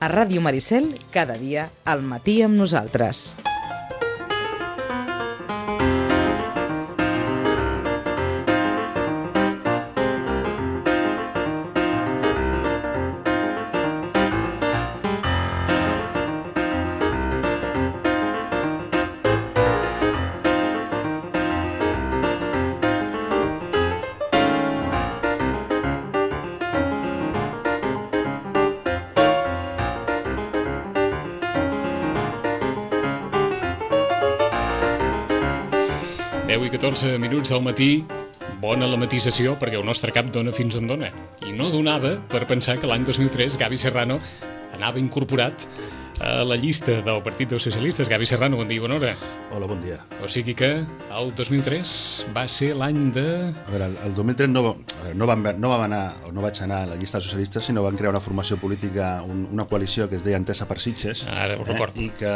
A Ràdio Maricel, cada dia, al matí amb nosaltres. I 14 minuts del matí, bona la matisació, perquè el nostre cap dona fins on dona. I no donava per pensar que l'any 2003 Gavi Serrano anava incorporat a la llista del Partit dels Socialistes. Gavi Serrano, bon dia, bona hora. Hola, bon dia. O sigui que el 2003 va ser l'any de... A veure, el 2003 no vaig anar a la llista dels socialistes, sinó van crear una formació política, una coalició que es deia Entesa per Sitges, Ara ho recordo. I que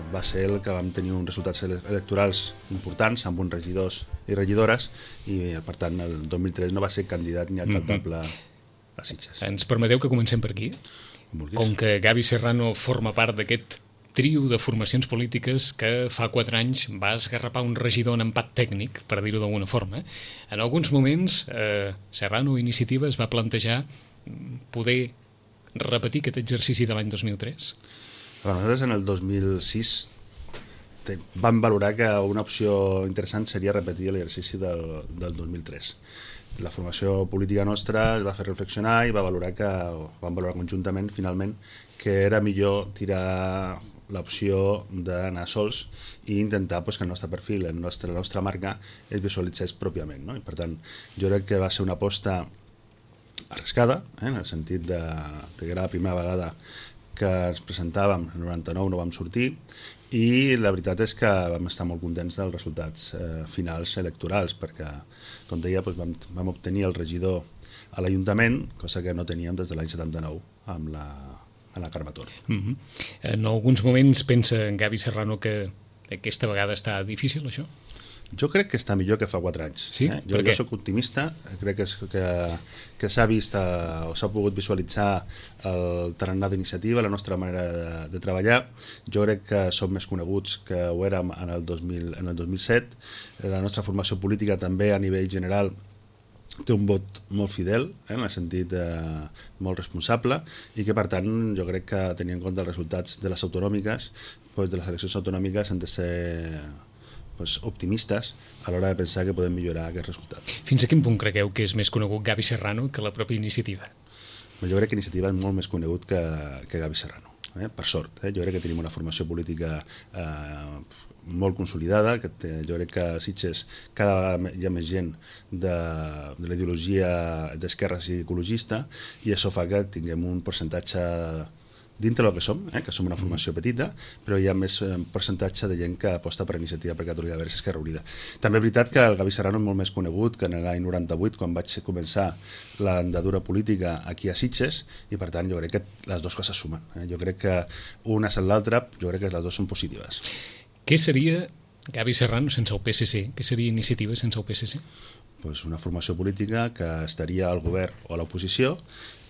va ser el que vam tenir uns resultats electorals importants, amb uns regidors i regidores, i per tant el 2003 no va ser candidat ni alcaldable a Sitges. Ens permeteu que comencem per aquí? Com que Gavi Serrano forma part d'aquest trio de formacions polítiques que fa 4 anys va esgarrapar un regidor en empat tècnic, per dir-ho d'alguna forma, en alguns moments Serrano Iniciativa es va plantejar poder repetir aquest exercici de l'any 2003? Nosaltres en el 2006 vam valorar que una opció interessant seria repetir l'exercici del 2003. La formació política nostra es va fer reflexionar i vam valorar conjuntament, finalment, que era millor tirar l'opció d'anar sols i intentar que el nostre perfil, la nostra marca, es visualitzés pròpiament, no? I per tant, jo crec que va ser una aposta arriscada, en el sentit que era la primera vegada que ens presentàvem, en el 99 no vam sortir, i la veritat és que vam estar molt contents dels resultats finals electorals, perquè, com deia, vam obtenir el regidor a l'Ajuntament, cosa que no teníem des de l'any 79 amb la Carme Tor. En alguns moments pensa en Gavi Serrano que aquesta vegada està difícil, això? Jo crec que està millor que fa 4 anys. Sí? Jo soc optimista, crec que s'ha vist o s'ha pogut visualitzar el tarannà d'iniciativa, la nostra manera de treballar. Jo crec que som més coneguts que ho érem en el 2007. La nostra formació política també a nivell general té un vot molt fidel, en el sentit molt responsable, i que per tant jo crec que tenint en compte els resultats de les autonòmiques, de les eleccions autonòmiques han de ser optimistes a l'hora de pensar que podem millorar aquest resultat. Fins a quin punt cregueu que és més conegut Gavi Serrano que la pròpia Iniciativa? Jo crec que Iniciativa és molt més conegut que Gavi Serrano, per sort. Jo crec que tenim una formació política molt consolidada, jo crec que a Sitges cada vegada hi ha més gent de la ideologia d'esquerres i ecologista, i això fa que tinguem un percentatge dintre del que som una formació petita, però hi ha més percentatge de gent que aposta per Iniciativa per Catalunya Verds Esquerra Unida. També és veritat que el Gavi Serrano és molt més conegut que en l'any 98, quan vaig començar l'andadura política aquí a Sitges, i per tant jo crec que les dues coses sumen. Jo crec que una és l'altra, jo crec que les dues són positives. Què seria Gavi Serrano sense el PSC? Què seria Iniciativa sense el PSC? Una formació política que estaria al govern o a l'oposició,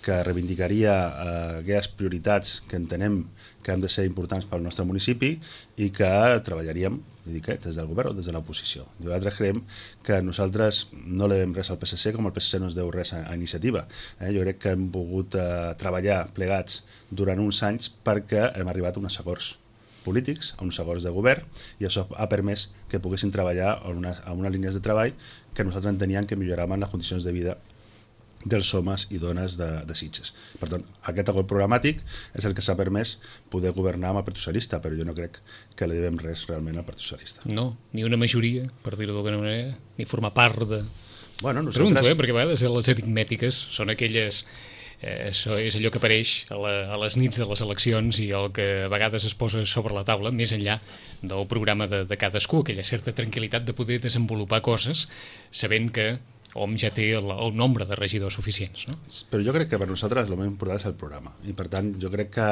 que reivindicaria aquelles prioritats que entenem que han de ser importants pel nostre municipi i que treballaríem des del govern o des de l'oposició. Nosaltres creiem que nosaltres no li devem res al PSC com el PSC no es deu res a Iniciativa. Jo crec que hem pogut treballar plegats durant uns anys perquè hem arribat a uns acords polítics, a uns acords de govern, i això ha permès que poguessin treballar a unes línies de treball que nosaltres enteníem que milloraven les condicions de vida dels homes i dones de Sitges. Per tant, aquest acord programàtic és el que s'ha permès poder governar amb el Partit Socialista, però jo no crec que li devem res realment al Partit Socialista. No, ni una majoria, per dir-ho d'alguna manera, ni formar part de... Nosaltres... Pregunto, perquè a vegades les aritmètiques són aquelles... Això és allò que apareix a les nits de les eleccions i el que a vegades es posa sobre la taula, més enllà del programa de cadascú, aquella certa tranquil·litat de poder desenvolupar coses sabent que OM ja té el nombre de regidors suficients, no? Però jo crec que per nosaltres el més important és el programa, i per tant jo crec que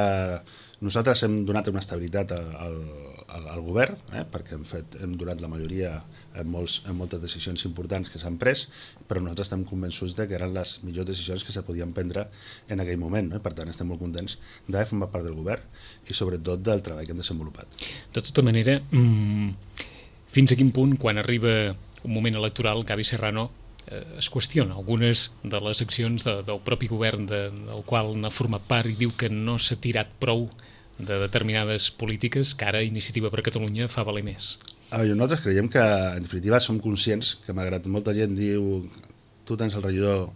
nosaltres hem donat una estabilitat al govern, perquè hem donat la majoria en moltes decisions importants que s'han pres, però nosaltres estem convençuts que eren les millors decisions que se podien prendre en aquell moment, no? Per tant estem molt contents d'haver format part del govern i sobretot del treball que hem desenvolupat. De tota manera, fins a quin punt, quan arriba un moment electoral, Gavi Serrano es qüestiona algunes de les accions del propi govern del qual n'ha format part i diu que no s'ha tirat prou de determinades polítiques que ara Iniciativa per Catalunya fa valer més? Nosaltres creiem que, en definitiva, som conscients que, malgrat molta gent diu tu tens el regidor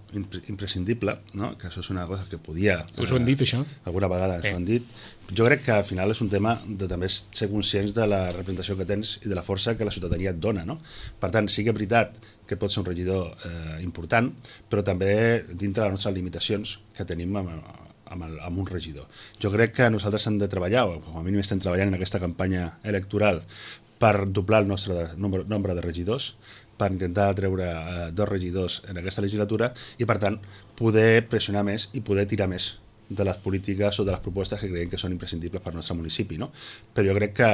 imprescindible, no? Que això és una cosa que podia... Us ho han dit, això? Alguna vegada ens ho han dit. Jo crec que al final és un tema de també ser conscients de la representació que tens i de la força que la ciutadania et dona, no? Per tant, sí que és veritat que pot ser un regidor important, però també dintre de les nostres limitacions que tenim amb un regidor. Jo crec que nosaltres hem de treballar, o com a mínim estem treballant en aquesta campanya electoral, per doblar el nostre nombre de regidors, per intentar treure 2 regidors en aquesta legislatura i, per tant, poder pressionar més i poder tirar més de les polítiques o de les propostes que creiem que són imprescindibles per al nostre municipi, no? Però jo crec que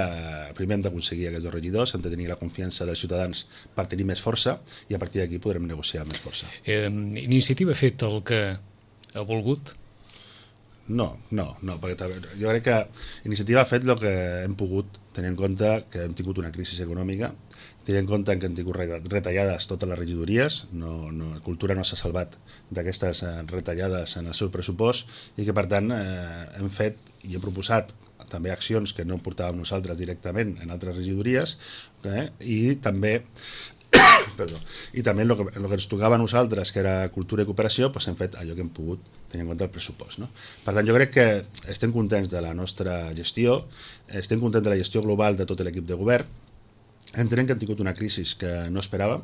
primer hem d'aconseguir aquests 2 regidors, hem de tenir la confiança dels ciutadans per tenir més força i a partir d'aquí podrem negociar més força. Iniciativa ha fet el que ha volgut? No, perquè jo crec que Iniciativa ha fet el que hem pogut, tenint en compte que hem tingut una crisi econòmica, tenint en compte que hem tingut retallades totes les regidories, Cultura no s'ha salvat d'aquestes retallades en el seu pressupost i que per tant hem fet i hem proposat també accions que no portàvem nosaltres directament en altres regidories i també el que ens tocava a nosaltres, que era cultura i cooperació, doncs hem fet allò que hem pogut tenint en compte el pressupost, no? Per tant, jo crec que estem contents de la nostra gestió, estem contents de la gestió global de tot l'equip de govern. Entenem que hem tingut una crisi que no esperàvem,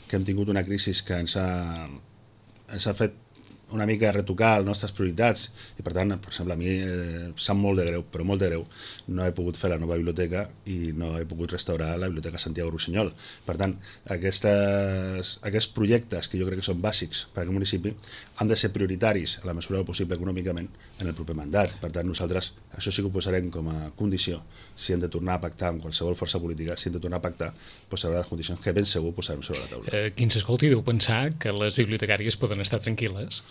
que hem tingut una crisi que ens ha fet una mica retocar les nostres prioritats i, per tant, per exemple, a mi em sap molt de greu, però molt de greu, no he pogut fer la nova biblioteca i no he pogut restaurar la Biblioteca Santiago Rossinyol. Per tant, aquests projectes que jo crec que són bàsics per a aquest municipi han de ser prioritaris a la mesura del possible econòmicament en el proper mandat. Per tant, nosaltres això sí que ho posarem com a condició. Si hem de tornar a pactar amb qualsevol força política, si hem de tornar a pactar, posarem les condicions que ben segur posarem sobre la taula. Qui ens escolti deu pensar que les bibliotecàries poden estar tranquil·les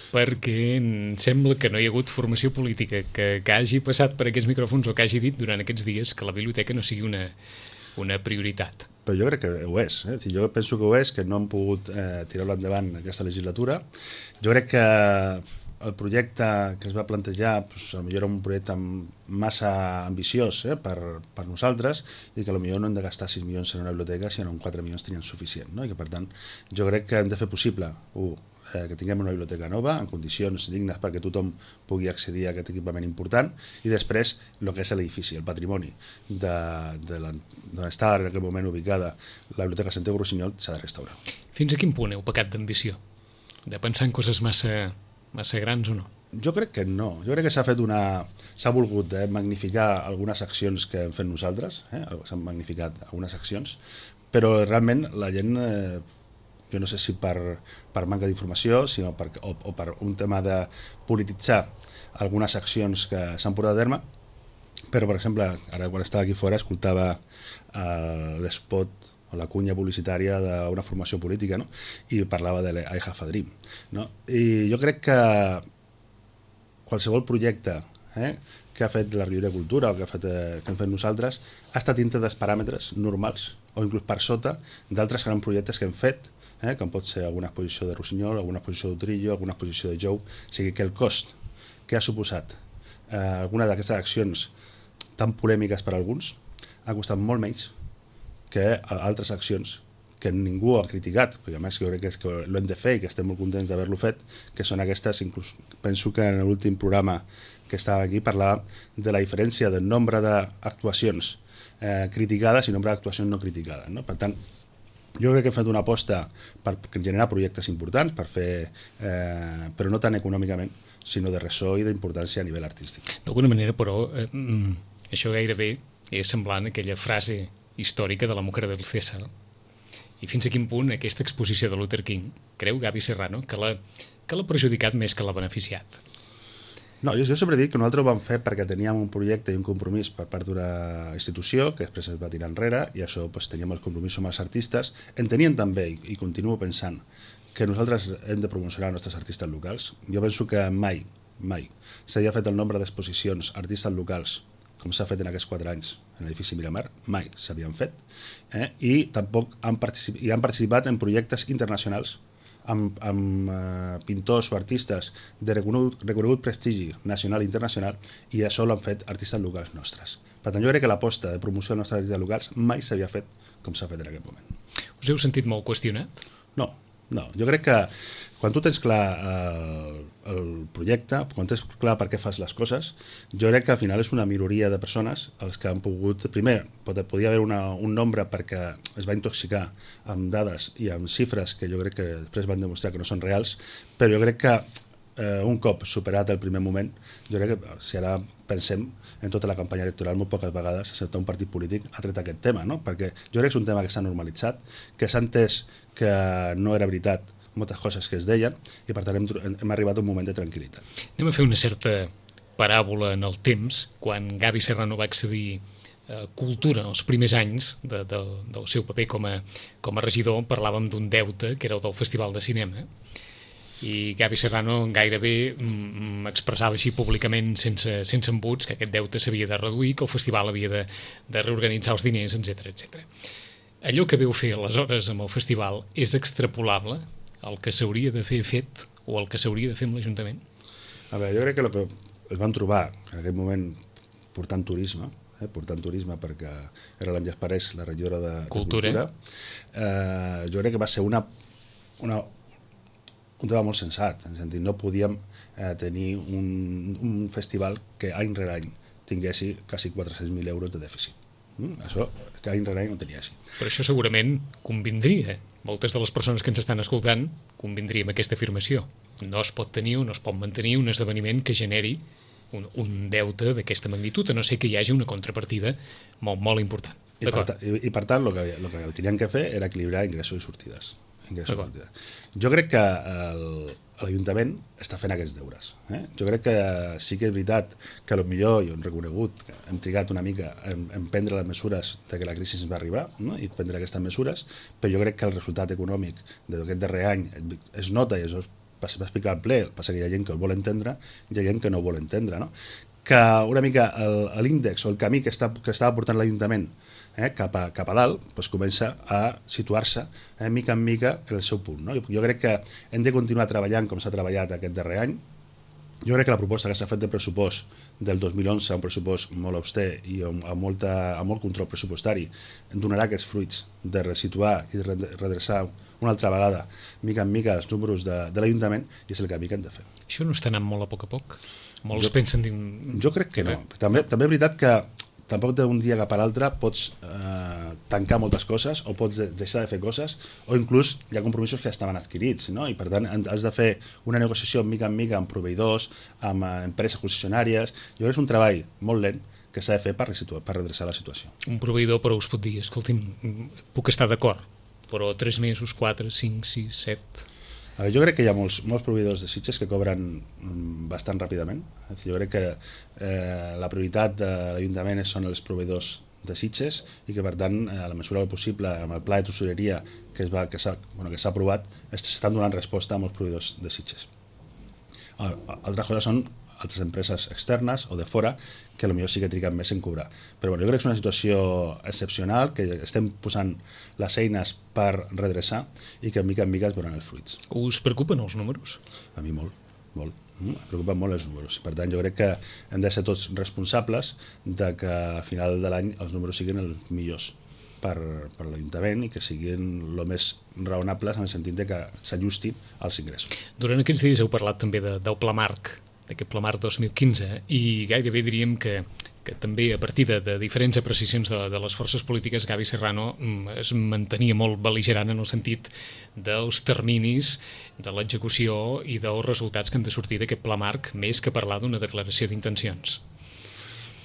perquè em sembla que no hi ha hagut formació política que hagi passat per aquests micròfons o que hagi dit durant aquests dies que la biblioteca no sigui una prioritat. Però jo crec que ho és. Jo penso que ho és, que no hem pogut tirar-lo endavant aquesta legislatura. Jo crec que el projecte que es va plantejar potser era un projecte massa ambiciós per nosaltres i que potser no hem de gastar 6 milions en una biblioteca, sinó amb 4 milions tenien suficient. I que, per tant, jo crec que hem de fer possible que tinguem una biblioteca nova en condicions dignes perquè tothom pugui accedir a aquest equipament important i després el que és l'edifici, el patrimoni d'on està en aquest moment ubicada la Biblioteca Santiago Rossinyol s'ha de restaurar. Fins a quin punt heu pecat d'ambició? De pensar en coses massa grans o no? Jo crec que no. Jo crec que s'ha volgut magnificar algunes accions que hem fet nosaltres, s'han magnificat algunes accions, però realment la gent, jo no sé si per manca d'informació o per un tema de polititzar algunes accions que s'han portat a terme, però per exemple, ara quan estava aquí fora escoltava l'espot o la cunya publicitària d'una formació política, no? I parlava de I Have a Dream, no? I jo crec que qualsevol projecte que ha fet la Regidoria de Cultura o que hem fet nosaltres ha estat dintre dels paràmetres normals o inclús per sota d'altres grans projectes que hem fet, com pot ser alguna exposició de Rossinyol, alguna exposició d'Utrillo, alguna exposició de Jou. O sigui que el cost que ha suposat alguna d'aquestes accions tan polèmiques per a alguns ha costat molt menys que altres accions que ningú ha criticat, perquè a més jo crec que l'hem de fer i que estem molt contents d'haver-lo fet, que són aquestes, inclús penso que en l'últim programa que estava aquí parlava de la diferència del nombre d'actuacions criticades i nombre d'actuacions no criticades, no? Per tant, jo crec que hem fet una aposta per generar projectes importants, però no tant econòmicament, sinó de ressò i d'importància a nivell artístic. D'alguna manera, però, això gairebé és semblant a aquella frase històrica de la Mujer del César, i fins a quin punt aquesta exposició de Luther King creu Gavi Serrano que l'ha perjudicat més que l'ha beneficiat? No, jo sempre he dit que nosaltres ho vam fer perquè teníem un projecte i un compromís per part d'una institució que després es va tirar enrere i això teníem el compromís amb els artistes. Entenien també, i continuo pensant, que nosaltres hem de promocionar els nostres artistes locals. Jo penso que mai s'havia fet el nombre d'exposicions artistes locals com s'ha fet en aquests 4 anys en l'edifici Miramar, mai s'havien fet, i tampoc han participat en projectes internacionals amb pintors o artistes de reconegut prestigi nacional i internacional, i això l'han fet artistes locals nostres. Per tant, jo crec que l'aposta de promoció dels nostres artistes locals mai s'havia fet com s'ha fet en aquest moment. Us heu sentit molt qüestionat? No, jo crec que quan tu tens clar el projecte, quan tens clar per què fas les coses, jo crec que al final és una minoria de persones els que han pogut, primer, podia haver un nombre perquè es va intoxicar amb dades i amb xifres que jo crec que després van demostrar que no són reals, però jo crec que un cop superat el primer moment, jo crec que si ara pensem en tota la campanya electoral, molt poques vegades un partit polític ha tret aquest tema, no? Perquè jo crec que és un tema que s'ha normalitzat, que s'ha entès que no era veritat moltes coses que es deien, i per tant hem arribat a un moment de tranquil·litat. Anem a fer una certa paràbola en el temps. Quan Gavi Serrano va accedir a Cultura en els primers anys del seu paper com a regidor, parlàvem d'un deute que era el del Festival de Cinema, i Gavi Serrano gairebé expressava així públicament sense embuts que aquest deute s'havia de reduir, que el festival havia de reorganitzar els diners, etc. Allò que veu fer aleshores amb el festival és extrapolable el que s'hauria de fer fet o el que s'hauria de fer amb l'Ajuntament? A veure, jo crec que el que es van trobar en aquell moment portant turisme perquè era l'Àngels Parés, la regidora de Cultura. Jo crec que va ser un tema molt sensat, en el sentit, no podíem tenir un festival que any rere any tinguessi quasi 400.000 euros de dèficit. Això que any rere any no tenia així. Però això segurament convindria. Moltes de les persones que ens estan escoltant convindria amb aquesta afirmació. No es pot tenir o no es pot mantenir un esdeveniment que generi un deute d'aquesta magnitud, a no ser que hi hagi una contrapartida molt important. I per tant, el que tenien que fer era equilibrar ingressos i sortides. Jo crec que l'Ajuntament està fent aquests deures. Jo crec que sí que és veritat que potser, jo hem reconegut, hem trigat una mica en prendre les mesures de que la crisi ens va arribar, no? I prendre aquestes mesures, però jo crec que el resultat econòmic d'aquest darrer any es nota, i això va explicar al ple, passa que hi ha gent que el vol entendre i hi ha gent que no ho vol entendre, no? Que una mica l'índex o el camí que estava portant l'Ajuntament cap a dalt, doncs comença a situar-se mica en mica en el seu punt, no? Jo crec que hem de continuar treballant com s'ha treballat aquest darrer any. Jo crec que la proposta que s'ha fet de pressupost del 2011, un pressupost molt auster i amb molt control pressupostari, donarà aquests fruits de resituar i redreçar una altra vegada, mica en mica, els números de l'Ajuntament, i és el camí que hem de fer. Això no està anant molt a poc a poc? Molts pensen... Jo crec que no. També és veritat que tampoc d'un dia cap a l'altre pots tancar moltes coses o pots deixar de fer coses, o inclús hi ha compromisos que estaven adquirits, no? I per tant has de fer una negociació mica en mica amb proveïdors, amb empreses concessionàries. Jo crec que és un treball molt lent que s'ha de fer per redreçar la situació. Un proveïdor, però, us pot dir, escolti'm, puc estar d'acord, però 3 mesos, 4, 5, 6, 7... Jo crec que hi ha molts proveïdors de Sitges que cobren bastant ràpidament. Jo crec que la prioritat de l'Ajuntament són els proveïdors de Sitges i que, per tant, a la mesura del possible, amb el pla de tesoreria que s'ha aprovat, s'estan donant resposta a molts proveïdors de Sitges. Altres coses són altres empreses externes o de fora que potser sí que triguen més en cobrar. Però jo crec que és una situació excepcional, que estem posant les eines per redreçar i que mica en mica es veuran els fruits. Us preocupen els números? A mi molt. Em preocupen molt els números. Per tant, jo crec que hem de ser tots responsables de que al final de l'any els números siguin els millors per l'Ajuntament i que siguin el més raonables en el sentit de que s'ajustin als ingressos. Durant aquests dies heu parlat també del Pla Marc, d'aquest Pla Marc 2015, i gairebé diríem que també a partir de diferents apreciacions de les forces polítiques, Gavi Serrano es mantenia molt bel·ligerant en el sentit dels terminis, de l'execució i dels resultats que han de sortir d'aquest Pla Marc, més que parlar d'una declaració d'intencions.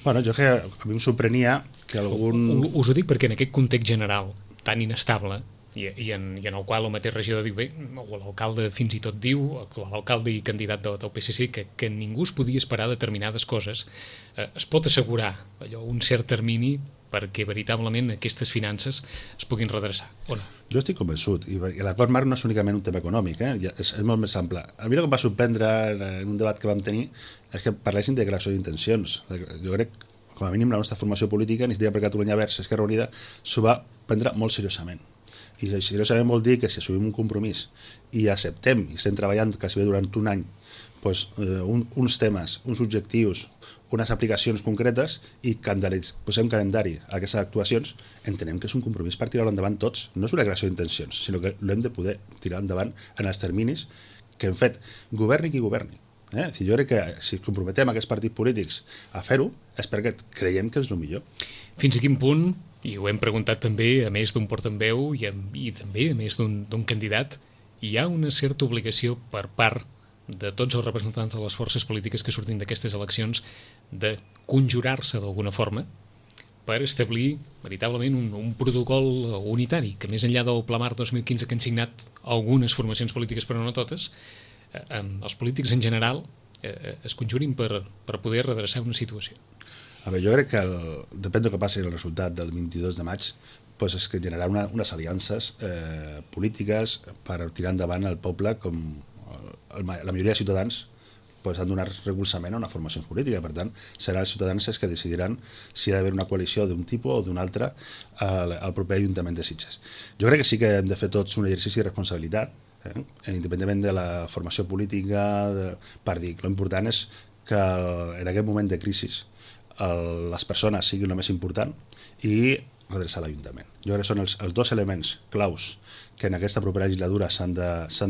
Bueno, jo a mi em sorprenia que algun... Us ho dic perquè en aquest context general tan inestable, i en el qual el mateix regidor diu bé, o l'alcalde fins i tot diu, l'alcalde i candidat del PSC, que ningú es podia esperar determinades coses, es pot assegurar allò, un cert termini perquè veritablement aquestes finances es puguin redreçar, o no? Jo estic convençut, i l'acord marc no és únicament un tema econòmic, és molt més ample. A mi el que em va sorprendre en un debat que vam tenir és que parlessin de declaració d'intencions. Jo crec, com a mínim, la nostra formació política, Iniciativa per Catalunya Verds, Esquerra Unida, s'ho va prendre molt seriosament. I seriosament vol dir que si assumim un compromís i acceptem, i estem treballant quasi bé durant un any, doncs, uns temes, uns objectius, unes aplicacions concretes i posem calendari a aquestes actuacions, entenem que és un compromís per tirar-ho endavant tots. No és una declaració d'intencions, sinó que l'hem de poder tirar endavant en els terminis que hem fet, governi qui governi. Jo crec que si comprometem aquests partits polítics a fer-ho és perquè creiem que és el millor. Fins a quin punt, i ho hem preguntat també a més d'un portaveu i també a més d'un candidat, hi ha una certa obligació per part de tots els representants de les forces polítiques que surtin d'aquestes eleccions de conjurar-se d'alguna forma per establir veritablement un protocol unitari, que més enllà del Pla Marc 2015 que han signat algunes formacions polítiques però no totes, els polítics en general es conjurin per poder redreçar una situació. A veure, jo crec que depèn del que passi el resultat del 22 de maig, doncs és que generarà unes aliances polítiques per tirar endavant el poble, com la majoria de ciutadans han donat recolzament a una formació política. Per tant, seran els ciutadans els que decidiran si ha d'haver una coalició d'un tipus o d'un altre al proper Ajuntament de Sitges. Jo crec que sí que hem de fer tots un exercici de responsabilitat, independentment de la formació política, per dir, l'important és que en aquest moment de crisi les persones siguin el més important i redreçar l'Ajuntament. Jo crec que són els dos elements claus que en aquesta propera legislatura s'han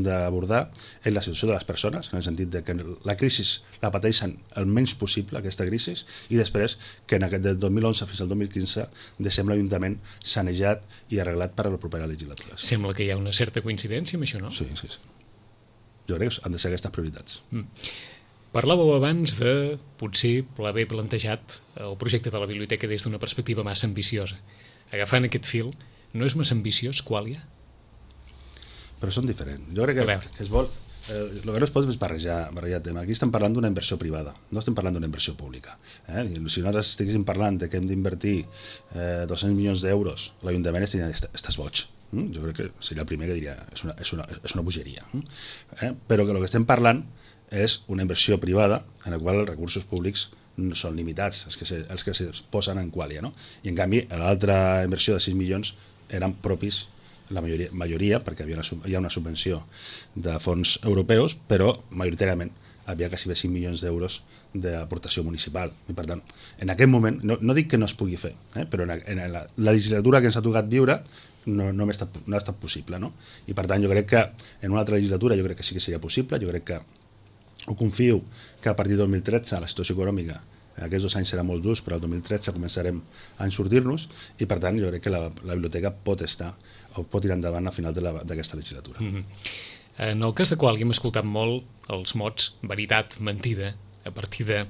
d'abordar, és la situació de les persones, en el sentit de que la crisi la pateixen el menys possible, aquesta crisi, i després que en aquest del 2011 fins al 2015 deixem l'Ajuntament sanejat i arreglat per a la propera legislatura. Sembla que hi ha una certa coincidència amb això, no? Sí. Jo crec que han de ser aquestes prioritats. Parlàveu abans de potser haver plantejat el projecte de la biblioteca des d'una perspectiva massa ambiciosa. Agafant aquest fil, no és massa ambiciós, Quàlia? Però són diferents. Jo crec que es vol... El que no es pot és barrejar tema. Aquí estem parlant d'una inversió privada, no estem parlant d'una inversió pública. Si nosaltres estiguéssim parlant de que hem d'invertir 200 milions d'euros, l'Ajuntament estaria estàs boig. Jo crec que seria el primer que diria és una bogeria. Però que el que estem parlant és una inversió privada en la qual els recursos públics no són limitats, els que es posen en Quàlia. I en canvi l'altra inversió de 6 milions eren propis, la majoria, perquè hi ha una subvenció de fons europeus, però majoritàriament havia quasi 5 milions d'euros d'aportació municipal. I per tant, en aquest moment, no dic que no es pugui fer, però en la legislatura que ens ha tocat viure no ha estat possible. I per tant, jo crec que en una altra legislatura jo crec que sí que seria possible, jo crec que ho confio que a partir del 2013 la situació econòmica aquests 2 anys serà molt durs, però el 2013 començarem a ensortir-nos i per tant jo crec que la biblioteca pot tirar endavant al final d'aquesta legislatura. En el cas de Quàlia hem escoltat molt els mots veritat, mentida, a partir de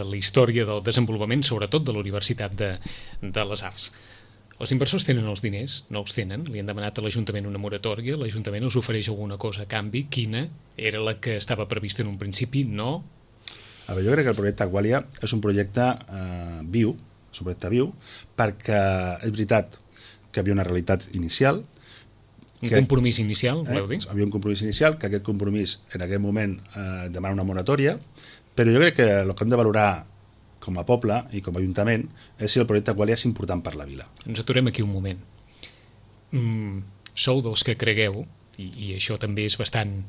la història del desenvolupament, sobretot de la Universitat de les Arts. Els inversors tenen els diners, no els tenen, li han demanat a l'Ajuntament una moratòria, l'Ajuntament els ofereix alguna cosa a canvi, quina era la que estava prevista en un principi, no? A veure, jo crec que el projecte Quàlia és un projecte viu, perquè és veritat que havia una realitat inicial. Un compromís inicial, voleu dir? Havia un compromís inicial, que aquest compromís en aquest moment demana una moratòria, però jo crec que el que hem de valorar com a poble i com a Ajuntament és si el projecte Quàlia és important per la vila. Ens aturem aquí un moment. Sou dels que cregueu, i això també és bastant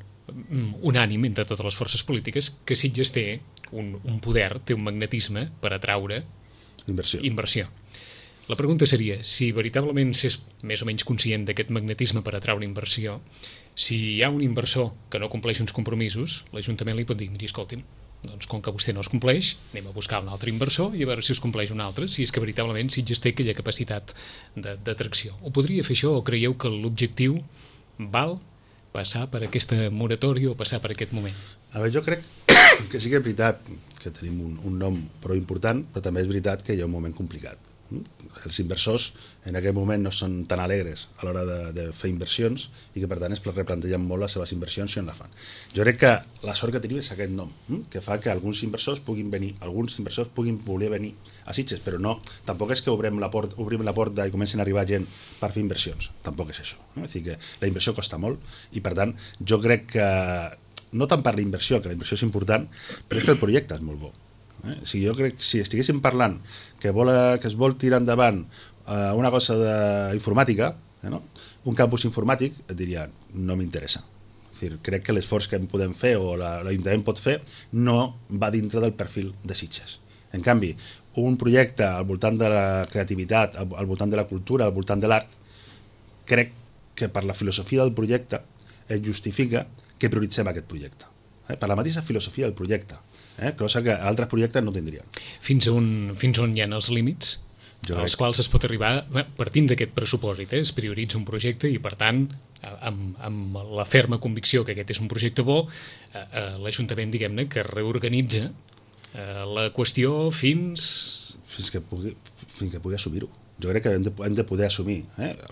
unànim entre totes les forces polítiques, que Sitges té un poder, té un magnetisme per atraure inversió. La pregunta seria, si veritablement s'és més o menys conscient d'aquest magnetisme per atraure inversió, si hi ha un inversor que no compleix uns compromisos, l'Ajuntament li pot dir, miri, escolti'm, doncs com que vostè no es compleix, anem a buscar un altre inversor i a veure si es compleix un altre, si és que veritablement Sitges té aquella capacitat d'atracció. O podria fer això, o creieu que l'objectiu val passar per aquesta moratòria o passar per aquest moment? A veure, jo crec que sí que és veritat que tenim un nom prou important, però també és veritat que hi ha un moment complicat. Els inversors en aquest moment no són tan alegres a l'hora de fer inversions i que per tant es replantegen molt les seves inversions si on la fan. Jo crec que la sort que tenim és aquest nom, que fa que alguns inversors puguin voler venir a Sitges, però no, tampoc és que obrim la porta i comencin a arribar gent per fer inversions, tampoc és això. És a dir, que la inversió costa molt i per tant jo crec que no tant per la inversió, que la inversió és important, però és que el projecte és molt bo. O sigui, jo crec que si estiguéssim parlant que es vol tirar endavant una cosa d'informàtica, no? Un campus informàtic, et diria, no m'interessa. Crec que l'esforç que podem fer o l'Ajuntament pot fer no va dintre del perfil de Sitges. En canvi, un projecte al voltant de la creativitat, al voltant de la cultura, al voltant de l'art, crec que per la filosofia del projecte es justifica que prioritzem aquest projecte. Per la mateixa filosofia del projecte. Cosa que altres projectes no tindrien. Fins on hi ha els límits als quals es pot arribar partint d'aquest pressupòsit. Es prioritza un projecte i, per tant, amb la ferma convicció que aquest és un projecte bo, l'Ajuntament, diguem-ne, que reorganitza la qüestió fins que pugui assumir-ho. Jo crec que hem de poder assumir.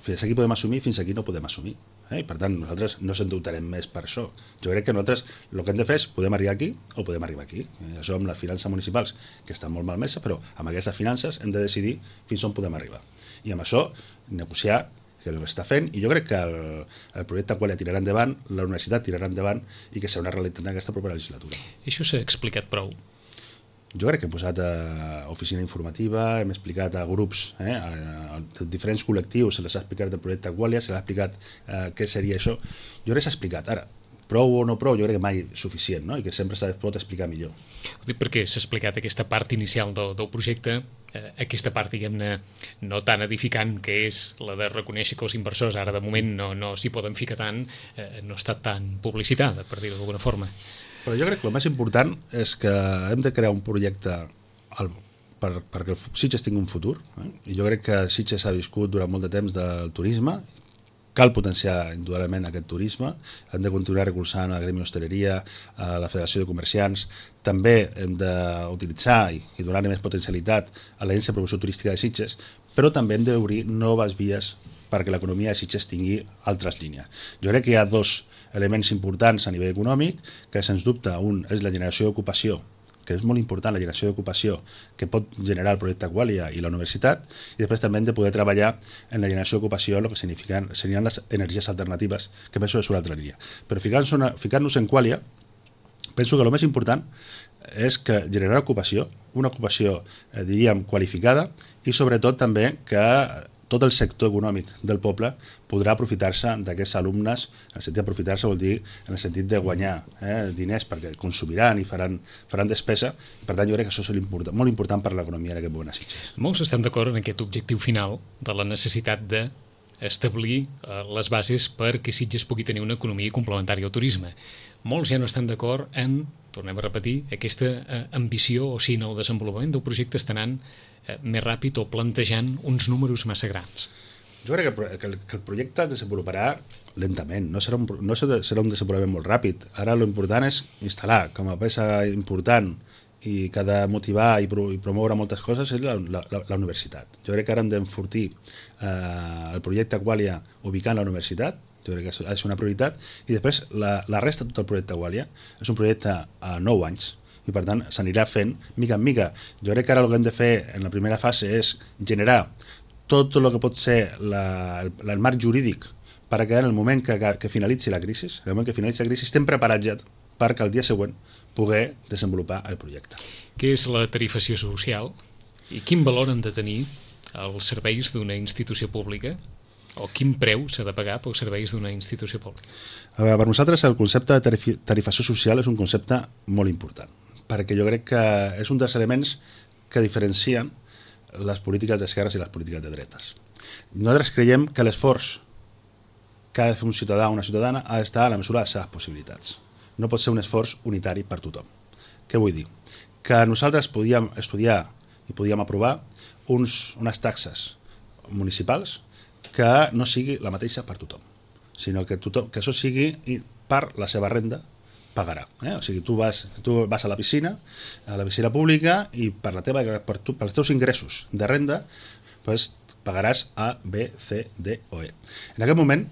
Fins aquí podem assumir, fins aquí no podem assumir. Per tant, nosaltres no s'endeutarem més per això. Jo crec que nosaltres el que hem de fer és podem arribar aquí o podem arribar aquí. Això amb les finances municipals, que estan molt malmeses, però amb aquestes finances hem de decidir fins on podem arribar. I amb això negociar, que és el que està fent, i jo crec que el projecte Qualia tirarà endavant, la universitat tirarà endavant i que serà una realitat en aquesta propera legislatura. Això s'ha explicat prou? Jo crec que hem posat oficina informativa, hem explicat a grups, a diferents col·lectius, se les ha explicat el projecte Qualia, se les ha explicat què seria això. Jo crec que s'ha explicat. Ara, prou o no prou, jo crec que mai suficient, no? I que sempre es pot explicar millor. Ho dic perquè s'ha explicat aquesta part inicial del projecte, aquesta part, diguem-ne, no tan edificant, que és la de reconèixer que els inversors ara de moment no s'hi poden ficar tant, no ha estat tan publicitada, per dir-ho d'alguna forma. Però jo crec que el més important és que hem de crear un projecte perquè Sitges tingui un futur. I jo crec que Sitges ha viscut durant molt de temps del turisme. Cal potenciar indudablement aquest turisme. Hem de continuar recolzant a la Gremi Hostaleria, a la Federació de Comerciants. També hem d'utilitzar i donar-li més potencialitat a l'Agència de Promoció Turística de Sitges, però també hem d'obrir noves vies perquè l'economia de Sitges tingui altres línies. Jo crec que hi ha dos elements importants a nivell econòmic, que sens dubte un és la generació d'ocupació, que és molt important la generació d'ocupació que pot generar el projecte Qualia i la universitat, i després també hem de poder treballar en la generació d'ocupació en el que serien les energies alternatives, que penso que és una altra línia. Però ficant-nos en Qualia, penso que el més important és que generar ocupació, una ocupació, diríem, qualificada, i sobretot també que tot el sector econòmic del poble podrà aprofitar-se d'aquests alumnes. En el sentit d'aprofitar-se vol dir en el sentit de guanyar diners perquè consumiran i faran despesa. Per tant, jo crec que això és molt important per l'economia en aquest moment a Sitges. Molts estan d'acord en aquest objectiu final de la necessitat d'establir les bases perquè Sitges pugui tenir una economia complementària al turisme. Molts ja no estan d'acord en, tornem a repetir, aquesta ambició o si en el desenvolupament del projecte està anant més ràpid o plantejant uns números massa grans. Jo crec que el projecte es desenvoluparà lentament, no serà un desenvolupament molt ràpid. Ara l'important és instal·lar com a peça important i que ha de motivar i promoure moltes coses és la universitat. Jo crec que ara hem d'enfortir el projecte Qualia ubicant la universitat, jo crec que ha de ser una prioritat, i després la resta de tot el projecte Qualia és un projecte a 9 anys, i per tant s'anirà fent mica en mica. Jo crec que ara el que hem de fer en la primera fase és generar tot el que pot ser el marc jurídic perquè en el moment que finalitzi la crisi, estem preparats ja perquè el dia següent poder desenvolupar el projecte. Què és la tarifació social i quin valor han de tenir els serveis d'una institució pública o quin preu s'ha de pagar pels serveis d'una institució pública? A veure, per nosaltres el concepte de tarifació social és un concepte molt important, perquè jo crec que és un dels elements que diferencien les polítiques d'esquerres i les polítiques de dretes. Nosaltres creiem que l'esforç que ha de fer un ciutadà o una ciutadana ha d'estar a la mesura de les seves possibilitats. No pot ser un esforç unitari per tothom. Què vull dir? Que nosaltres podíem estudiar i podíem aprovar unes taxes municipals que no sigui la mateixa per tothom, sinó que això sigui per la seva renda pagarà. O sigui, tu vas a la piscina pública i pels teus ingressos de renda pues pagaràs A, B, C, D o E. En aquest moment,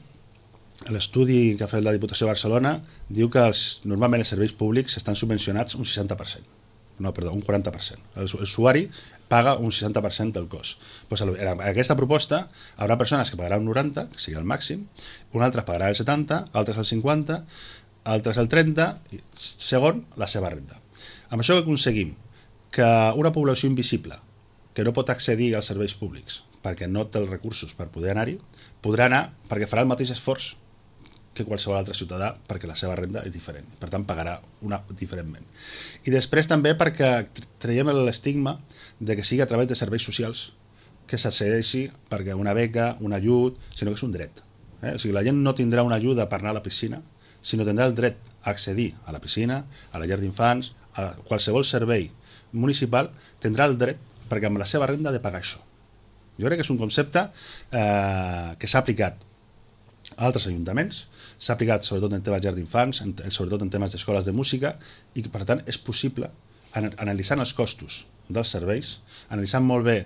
l'estudi que ha fet la Diputació de Barcelona diu que normalment els serveis públics estan subvencionats un 60%. No, perdó, un 40%. L'usuari paga un 60% del cost. Pues en aquesta proposta hi haurà persones que pagaran un 90%, que sigui el màxim, un altre pagarà el 70%, altres el 50%, altres el 30%, segon la seva renda. Amb això que aconseguim que una població invisible que no pot accedir als serveis públics perquè no té els recursos per poder anar-hi, podrà anar perquè farà el mateix esforç que qualsevol altre ciutadà perquè la seva renda és diferent. Per tant, pagarà diferentment. I després també perquè traiem l'estigma de que sigui a través de serveis socials que s'accedeixi perquè una beca, un ajut, sinó que és un dret. O sigui, la gent no tindrà una ajuda per anar a la piscina, sinó tindrà el dret a accedir a la piscina, a la llar d'infants, a qualsevol servei municipal, tindrà el dret perquè amb la seva renda ha de pagar això. Jo crec que és un concepte que s'ha aplicat a altres ajuntaments, s'ha aplicat sobretot en temes de llar d'infants, sobretot en temes d'escoles de música, i que per tant és possible, analitzant els costos dels serveis, analitzant molt bé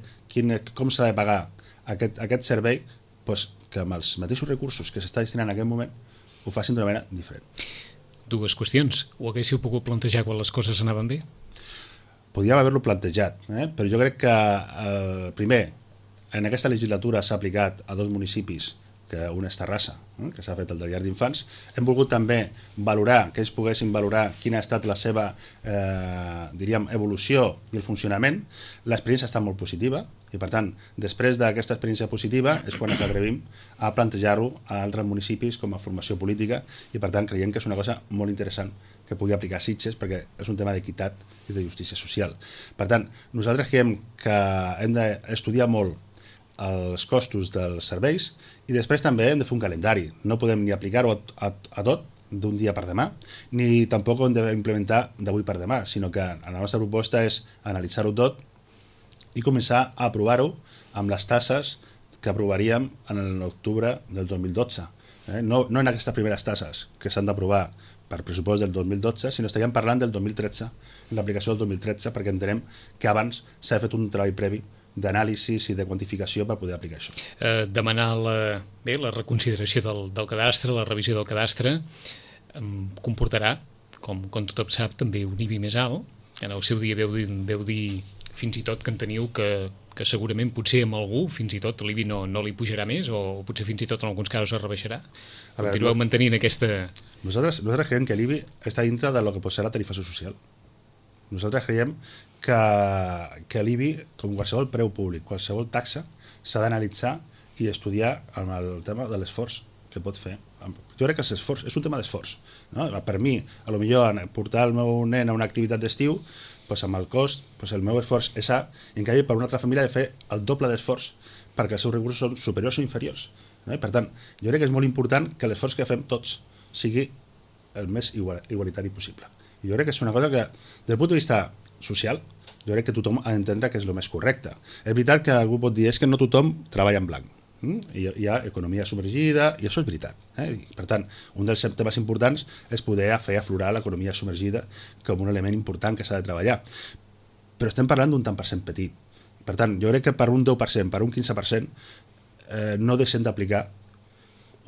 com s'ha de pagar aquest servei, que amb els mateixos recursos que s'està destinant en aquest moment ho facin d'una manera diferent. Dues qüestions. Ho haguéssiu pogut plantejar quan les coses anaven bé? Podríem haver-lo plantejat, però jo crec que primer, en aquesta legislatura s'ha aplicat a 2 municipis, que un és Terrassa, que s'ha fet el de llar d'infants. Hem volgut també valorar, que ells poguessin valorar quina ha estat la seva evolució i el funcionament. L'experiència ha estat molt positiva i, per tant, després d'aquesta experiència positiva és quan ens atrevim a plantejar-ho a altres municipis com a formació política i, per tant, creiem que és una cosa molt interessant que pugui aplicar a Sitges perquè és un tema d'equitat i de justícia social. Per tant, nosaltres creiem que hem d'estudiar molt els costos dels serveis i després també hem de fer un calendari. No podem ni aplicar-ho a tot d'un dia per demà, ni tampoc ho hem d'implementar d'avui per demà, sinó que la nostra proposta és analitzar-ho tot i començar a aprovar-ho amb les tasses que aprovaríem en l'octubre del 2012. No en aquestes primeres tasses que s'han d'aprovar per pressupost del 2012, sinó estaríem parlant del 2013, l'aplicació del 2013, perquè entenem que abans s'ha fet un treball previ d'anàlisis i de quantificació per poder aplicar això. Demanar la reconsideració del cadastre, la revisió del cadastre, comportarà, com tothom sap, també un IBI més alt. En el seu dia veu dir fins i tot que en teniu que segurament potser amb algú fins i tot l'IBI no li pujarà més o potser fins i tot en alguns casos es rebaixarà. Continueu mantenint aquesta... Nosaltres creiem que l'IBI està dintre del que pot ser la tarifació social. Nosaltres creiem que l'IBI, com qualsevol preu públic, qualsevol taxa, s'ha d'analitzar i estudiar amb el tema de l'esforç que pot fer. Jo crec que és un tema d'esforç. Per mi, potser portar el meu nen a una activitat d'estiu, amb el cost, el meu esforç és A, i en canvi per una altra família ha de fer el doble d'esforç perquè els seus recursos són superiors o inferiors. Per tant, jo crec que és molt important que l'esforç que fem tots sigui el més igualitari possible. I jo crec que és una cosa que, des del punt de vista social, jo crec que tothom ha d'entendre que és el més correcte. És veritat que algú pot dir que no tothom treballa en blanc. Hi ha economia submergida, i això és veritat. Per tant, un dels temes importants és poder fer aflorar l'economia submergida com un element important que s'ha de treballar. Però estem parlant d'un tant per cent petit. Per tant, jo crec que per un 10%, per un 15%, no deixem d'aplicar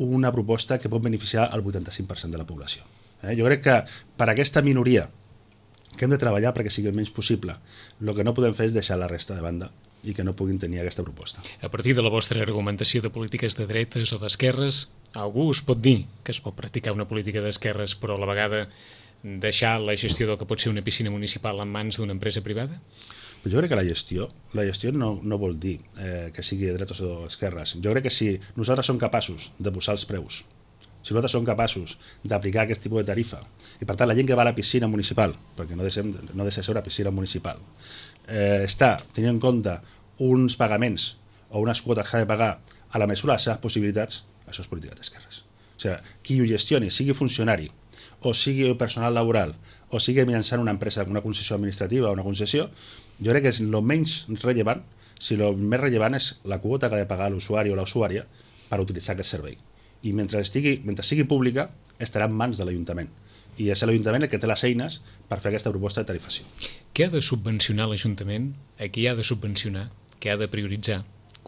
una proposta que pot beneficiar el 85% de la població. Jo crec que per aquesta minoria que hem de treballar perquè sigui el menys possible, el que no podem fer és deixar la resta de banda i que no puguin tenir aquesta proposta. A partir de la vostra argumentació de polítiques de dretes o d'esquerres, algú us pot dir que es pot practicar una política d'esquerres però a la vegada deixar la gestió del que pot ser una piscina municipal en mans d'una empresa privada? Jo crec que la gestió no vol dir que sigui de dretes o esquerres. Jo crec que si nosaltres som capaços de posar els preus, si nosaltres som capaços d'aplicar aquest tipus de tarifa, i per tant la gent que va a la piscina municipal, perquè no deixa de ser una piscina municipal, està tenint en compte uns pagaments o unes quotes que ha de pagar a la mesura de les seves possibilitats, això és política d'esquerres. O sigui, qui ho gestioni, sigui funcionari, o sigui personal laboral, o sigui mitjançant una empresa, una concessió administrativa o una concessió, jo crec que és el menys rellevant, si el més rellevant és la quota que ha de pagar l'usuari o l'usuària per utilitzar aquest servei. I mentre sigui pública, estarà en mans de l'Ajuntament. I és l'Ajuntament el que té les eines per fer aquesta proposta de tarifació. Què ha de subvencionar l'Ajuntament? A qui ha de subvencionar? Què ha de prioritzar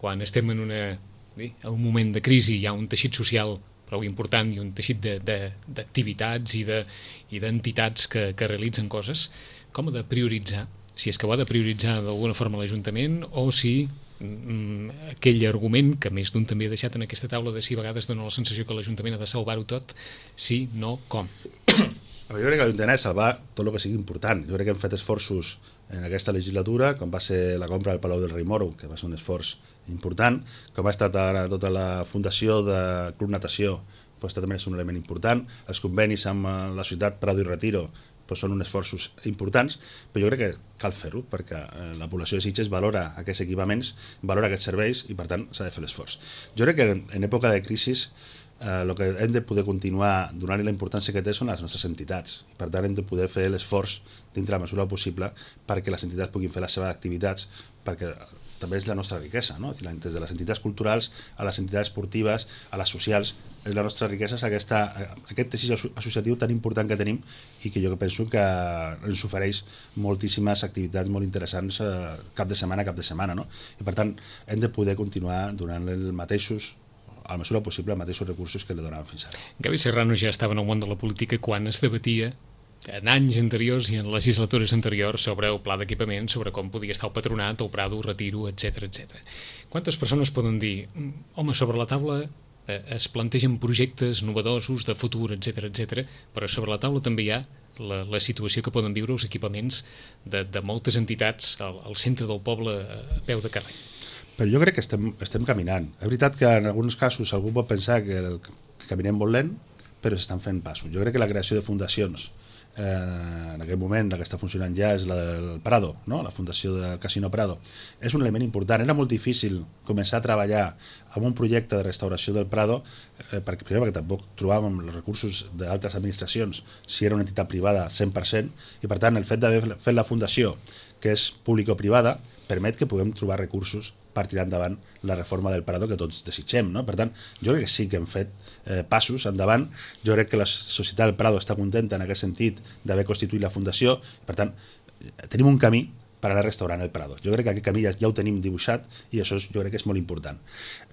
quan estem en un moment de crisi, hi ha un teixit social prou important i un teixit d'activitats i d'entitats que realitzen coses, com ha de prioritzar? Si és que ho ha de prioritzar d'alguna forma l'Ajuntament o si aquell argument que més d'un també ha deixat en aquesta taula de si a vegades dona la sensació que l'Ajuntament ha de salvar-ho tot, si, no, com? Jo crec que l'Ajuntament ha de salvar tot el que sigui important. Jo crec que hem fet esforços en aquesta legislatura, com va ser la compra del Palau del Rei Moro, que va ser un esforç important, com ha estat ara tota la fundació de Club Natació, doncs també és un element important, els convenis amb la ciutat Prado i Retiro doncs són uns esforços importants, però jo crec que cal fer-ho perquè la població de Sitges valora aquests equipaments, valora aquests serveis i per tant s'ha de fer l'esforç. Jo crec que en època de crisi el que hem de poder continuar donant-li la importància que té són les nostres entitats. Per tant, hem de poder fer l'esforç dintre la mesura possible perquè les entitats puguin fer les seves activitats, perquè també és la nostra riquesa, no? Des de les entitats culturals a les entitats esportives, a les socials, la nostra riquesa és aquest teixit associatiu tan important que tenim i que jo penso que ens ofereix moltíssimes activitats molt interessants cap de setmana, no? I per tant, hem de poder continuar donant els mateixos, a la mesura possible, els mateixos recursos que li donàvem fins ara. Gavi Serrano ja estava en el món de la política quan es debatia en anys anteriors i en legislatures anteriors sobre el pla d'equipament, sobre com podia estar el Patronat, el Prado, el Retiro, etc. Quantes persones poden dir, home, sobre la taula es plantegen projectes novedosos de futur, etc, però sobre la taula també hi ha la situació que poden viure els equipaments de moltes entitats al centre del poble a peu de carrer? Però jo crec que estem caminant. És veritat que en alguns casos algú pot pensar que caminem molt lent, però s'estan fent passos. Jo crec que la creació de fundacions en aquest moment la que està funcionant ja és la del Prado, no? La fundació del Casino Prado, és un element important. Era molt difícil començar a treballar en un projecte de restauració del Prado perquè tampoc trobàvem els recursos d'altres administracions si era una entitat privada 100%, i per tant el fet d'haver fet la fundació, que és público-privada, permet que puguem trobar recursos per tirar endavant la reforma del Prado que tots desitgem, no? Per tant, jo crec que sí que hem fet passos endavant. Jo crec que la societat del Prado està contenta en aquest sentit d'haver constituït la fundació. Per tant, tenim un camí per anar restaurant el Prado. Jo crec que aquest camí ja ho tenim dibuixat i això jo crec que és molt important.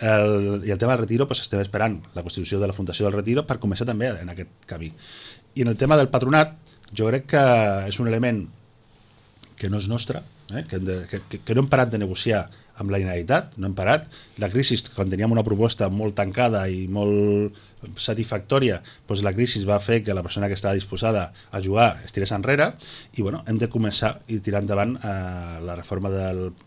I el tema del Retiro, doncs estem esperant la constitució de la Fundació del Retiro per començar també en aquest camí. I en el tema del Patronat, jo crec que és un element que no és nostre, que no hem parat de negociar amb la Generalitat, no hem parat. La crisi, quan teníem una proposta molt tancada i molt satisfactòria, doncs la crisi va fer que la persona que estava disposada a jugar es tirés enrere i hem de començar i tirar endavant la reforma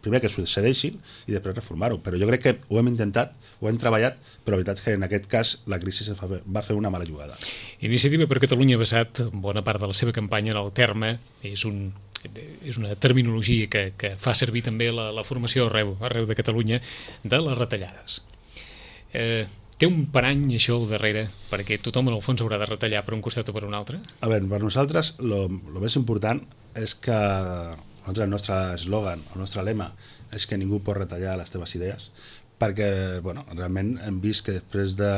primer que succeeixin i després reformar-ho. Però jo crec que ho hem intentat, ho hem treballat, però la veritat és que en aquest cas la crisi va fer una mala jugada. Iniciativa per Catalunya ha basat bona part de la seva campanya en el terme, és una terminologia que fa servir també la formació arreu de Catalunya, de les retallades. Té un parany això al darrere perquè tothom en el fons haurà de retallar per un costat o per un altre? A veure, per nosaltres el més important és que el nostre eslògan, el nostre lema és que ningú pot retallar les teves idees, perquè realment hem vist que després de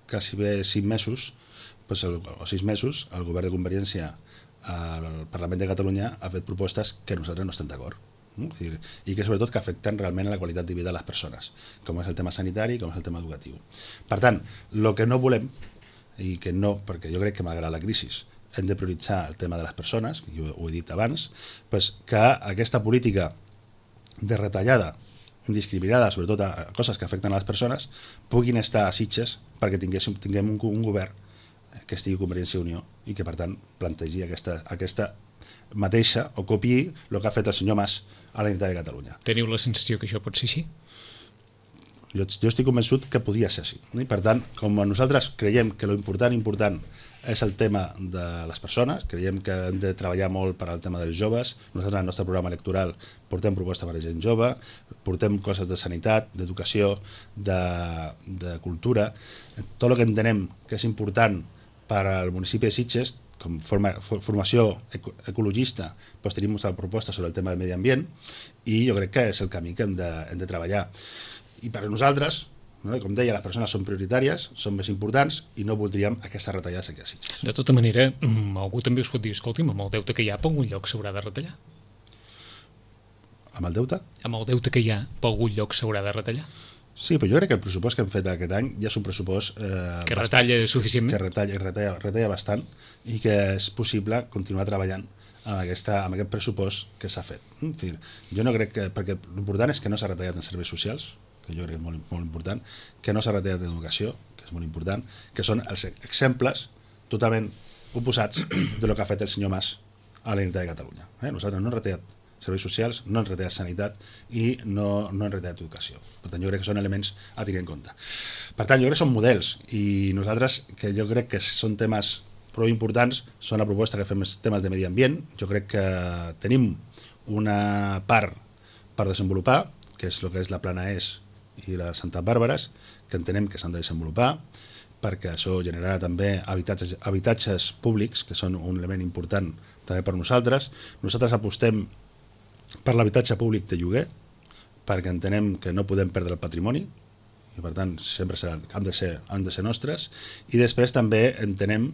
quasi bé 5 mesos o 6 mesos el govern de Convergència al Parlament de Catalunya ha fet propostes que nosaltres no estem d'acord, i que sobretot que afecten realment a la qualitat de vida de les persones, com és el tema sanitari, com és el tema educatiu. Per tant, el que no volem, i que no, perquè jo crec que malgrat la crisi hem de prioritzar el tema de les persones, jo ho he dit abans, que aquesta política de retallada indiscriminada, sobretot a coses que afecten a les persones, puguin estar a Sitges perquè tinguem un govern que estigui Convergència i Unió i que per tant plantegi aquesta mateixa o copiï el que ha fet el senyor Mas a la Generalitat de Catalunya. Teniu la sensació que això pot ser així? Jo estic convençut que podia ser així. I per tant, com nosaltres creiem que l'important és el tema de les persones, creiem que hem de treballar molt per al tema dels joves. Nosaltres en el nostre programa electoral portem propostes per a gent jove, portem coses de sanitat, d'educació, de cultura, tot el que entenem que és important per al municipi de Sitges, com formació ecologista, doncs tenim una proposta sobre el tema del medi ambient i jo crec que és el camí que hem de treballar. I per a nosaltres, com deia, les persones són prioritàries, són més importants i no voldríem aquestes retallades aquí a Sitges. De tota manera, algú també us pot dir, escolti'm, amb el deute que hi ha, per algun lloc s'haurà de retallar? Amb el deute? Amb el deute que hi ha, per algun lloc s'haurà de retallar. Sí, però jo crec que el pressupost que hem fet aquest any ja és un pressupost... que retalla suficientment. Que retalla bastant i que és possible continuar treballant amb aquest pressupost que s'ha fet. Jo no crec que... Perquè l'important és que no s'ha retallat en serveis socials, que jo crec que és molt important, que no s'ha retallat en educació, que és molt important, que són els exemples totalment oposats de lo que ha fet el senyor Mas a la Generalitat de Catalunya. Nosaltres no hem retallat serveis socials, no hem retallat sanitat i no hem retallat educació. Per tant, jo crec que són elements a tenir en compte. Per tant, jo crec que són models i nosaltres, que jo crec que són temes prou importants, són la proposta que fem temes de medi ambient. Jo crec que tenim una part per desenvolupar, que és el que és la Plana ES i la Santa Bàrbares, que entenem que s'han de desenvolupar, perquè això generarà també habitatges públics, que són un element important també per nosaltres. Nosaltres apostem per l'habitatge públic de lloguer, perquè entenem que no podem perdre el patrimoni, i per tant sempre han de ser nostres, i després també entenem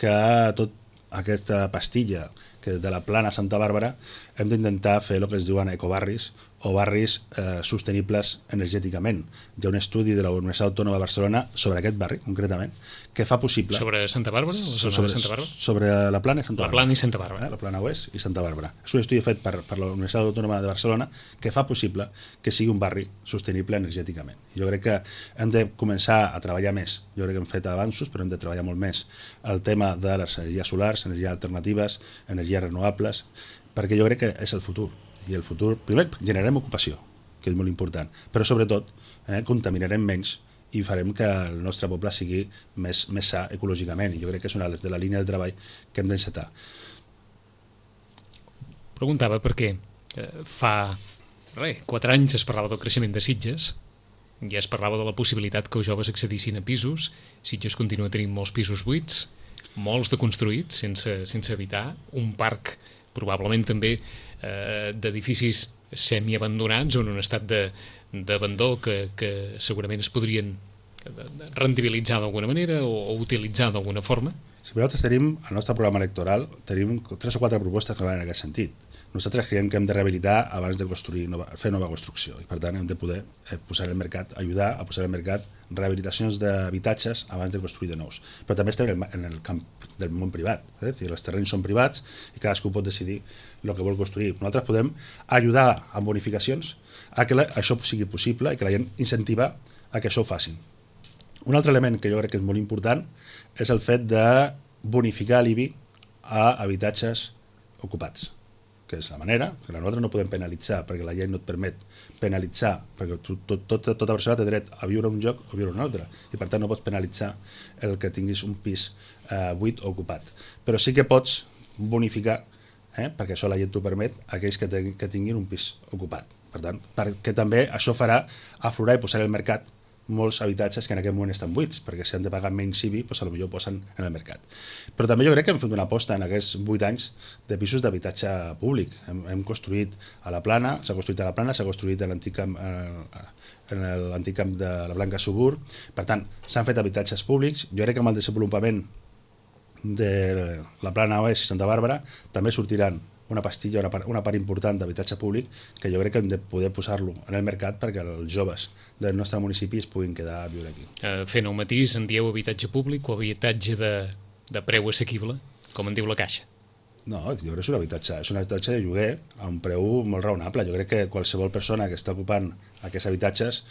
que tot aquesta pastilla que de la Plana Santa Bàrbara hem d'intentar fer el que es diuen ecobarris o barris sostenibles energèticament. Hi ha un estudi de la Universitat Autònoma de Barcelona sobre aquest barri, concretament, que fa possible... Sobre Santa Bàrbara? Sobre la Plana i Santa Bàrbara. La Plana i Santa Bàrbara. La Plana Oest i Santa Bàrbara. És un estudi fet per la Universitat Autònoma de Barcelona que fa possible que sigui un barri sostenible energèticament. Jo crec que hem de començar a treballar més. Jo crec que hem fet avanços, però hem de treballar molt més el tema de les energies solars, energies alternatives, energies renovables, perquè jo crec que és el futur. I el futur, primer, generarem ocupació, que és molt important, però sobretot contaminarem menys i farem que el nostre poble sigui més sa ecològicament, i jo crec que és una de la línia de treball que hem d'encetar. Preguntava perquè fa 4 anys es parlava del creixement de Sitges, ja es parlava de la possibilitat que els joves accedissin a pisos. Sitges continua tenint molts pisos buits, molts de construïts sense habitar, un parc probablement també d'edificis semiabandonats o en un estat d'abandó que segurament es podrien rendibilitzar d'alguna manera o utilitzar d'alguna forma. Si nosaltres tenim, al nostre programa electoral, tenim 3 o 4 propostes que van en aquest sentit. Nosaltres creiem que hem de rehabilitar abans de fer nova construcció i per tant hem de poder posar al mercat, ajudar a posar al mercat rehabilitacions d'habitatges abans de construir de nous. Però també estem en el camp del món privat, els terrenys són privats i cadascú pot decidir el que vol construir. Nosaltres podem ajudar amb bonificacions a que això sigui possible i que la gent incentiva a que això ho facin. Un altre element que jo crec que és molt important és el fet de bonificar l'IBI a habitatges ocupats, que és la manera, perquè nosaltres no podem penalitzar, perquè la llei no et permet penalitzar, perquè tota persona té dret a viure un lloc o viure un altre, i per tant no pots penalitzar el que tinguis un pis buit o ocupat. Però sí que pots bonificar, perquè això la llei t'ho permet, aquells que tinguin un pis ocupat. Per tant, perquè també això farà aflorar i posar al mercat molts habitatges que en aquest moment estan buits, perquè si han de pagar menys IBI, doncs potser posen en el mercat. Però també jo crec que hem fet una aposta en aquests 8 anys de pisos d'habitatge públic. Hem construït a la Plana, s'ha construït en l'antic camp de la Blanca Subur. Per tant, s'han fet habitatges públics. Jo crec que amb el desenvolupament de la Plana Oest i Santa Bàrbara també sortiran una pastilla, una part important d'habitatge públic que jo crec que hem de poder posar-lo en el mercat perquè els joves del nostre municipi es puguin quedar a viure aquí. Fent un matís, en dieu habitatge públic o habitatge de preu assequible, com en diu la Caixa? No, jo crec que és un habitatge de lloguer a un preu molt raonable. Jo crec que qualsevol persona que està ocupant aquests habitatges,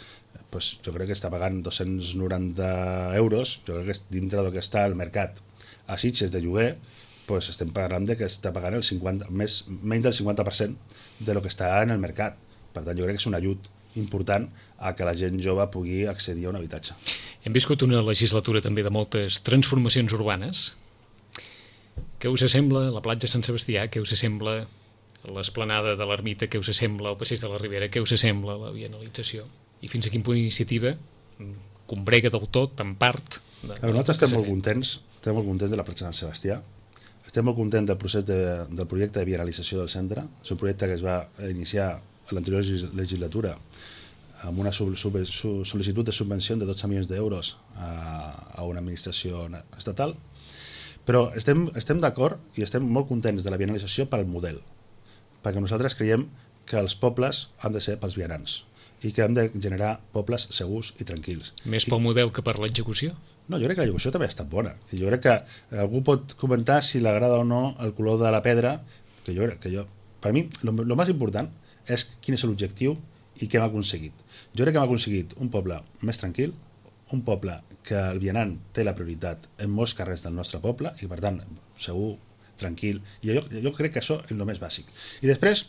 jo crec que està pagant 290 euros, jo crec que dintre del que està al mercat a Sitges de lloguer, estem parlant que està pagant menys del 50% de lo que està en el mercat. Per tant, jo crec que és un ajut important a que la gent jove pugui accedir a un habitatge. Hem viscut una legislatura també de moltes transformacions urbanes. Què us sembla la platja Sant Sebastià? Què us sembla l'esplanada de l'Ermita? Què us sembla el passeig de la Ribera? Què us sembla la vianalització? I fins a quin punt iniciativa combrega del tot, en part... Nosaltres estem molt contents de la platja Sant Sebastià. Estem molt contents del procés del projecte de vianalització del centre. És un projecte que es va iniciar a l'anterior legislatura amb una sol·licitud de subvenció de 12 milions d'euros a una administració estatal. Però estem d'acord i estem molt contents de la vianalització pel model, perquè nosaltres creiem que els pobles han de ser pels vianants i que hem de generar pobles segurs i tranquils. Més pel model que per l'execució? No, jo crec que l'execució també ha estat bona. Jo crec que algú pot comentar si li agrada o no el color de la pedra, que jo crec que per mi, el més important és quin és l'objectiu i què hem aconseguit. Jo crec que hem aconseguit un poble més tranquil, un poble que el vianant té la prioritat en molts carrers del nostre poble i per tant segur, tranquil, i jo crec que això és el més bàsic. I després,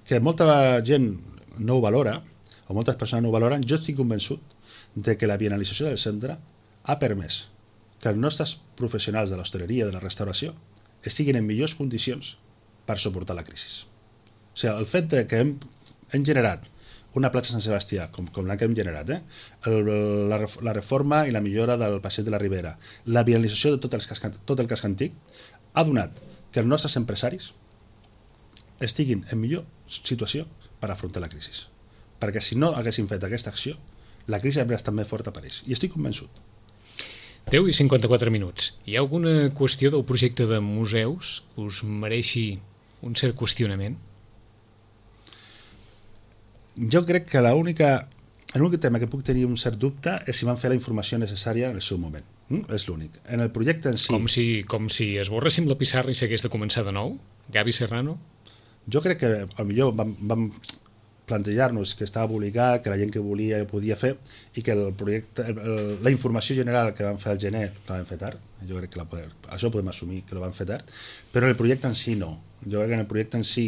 que molta gent no ho valora, o moltes persones no ho valoren, jo estic convençut de que la bienalització del centre ha permès que els nostres professionals de l'hostaleria, de la restauració, estiguin en millors condicions per suportar la crisi. O sigui, el fet que hem generat una platja Sant Sebastià, com la que hem generat, la reforma i la millora del passeig de la Ribera, la bienalització de tot el casc antic, ha donat que els nostres empresaris estiguin en millor situació per afrontar la crisi. Perquè si no haguessin fet aquesta acció, la crisi hauria estat més forta per ells. I estic convençut. 10 i 54 minuts. Hi ha alguna qüestió del projecte de museus que us mereixi un cert qüestionament? Jo crec que l'únic tema que puc tenir un cert dubte és si van fer la informació necessària en el seu moment. És l'únic. En el projecte en si... Com si esborréssim la pissarra i s'hagués de començar de nou? Gavi Serrano? Jo crec que potser vam plantejar-nos que estava publicat, que la gent que volia ho podia fer i que el projecte, la informació general que vam fer al gener la vam fer tard. Jo crec que això podem assumir que la vam fer tard, però el projecte en si no. Jo crec que en el projecte en si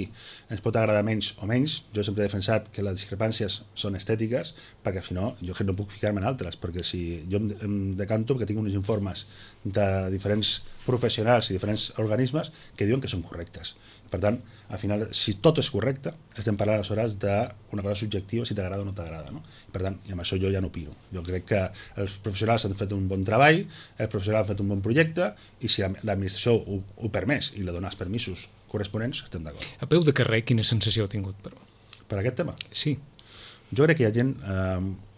ens pot agradar menys o menys. Jo sempre he defensat que les discrepàncies són estètiques, perquè si no, jo no puc ficar-me en altres, perquè si jo em decanto perquè tinc uns informes de diferents professionals i diferents organismes que diuen que són correctes. Per tant, al final, si tot és correcte, estem parlant aleshores d'una cosa subjectiva, si t'agrada o no t'agrada. No? Per tant, i amb això jo ja no opino. Jo crec que els professionals han fet un bon treball, els professionals han fet un bon projecte, i si l'administració ho permès i li dona els permisos corresponents, estem d'acord. A peu de carrer, quina sensació ha tingut, però? Per aquest tema? Sí. Jo crec que hi ha gent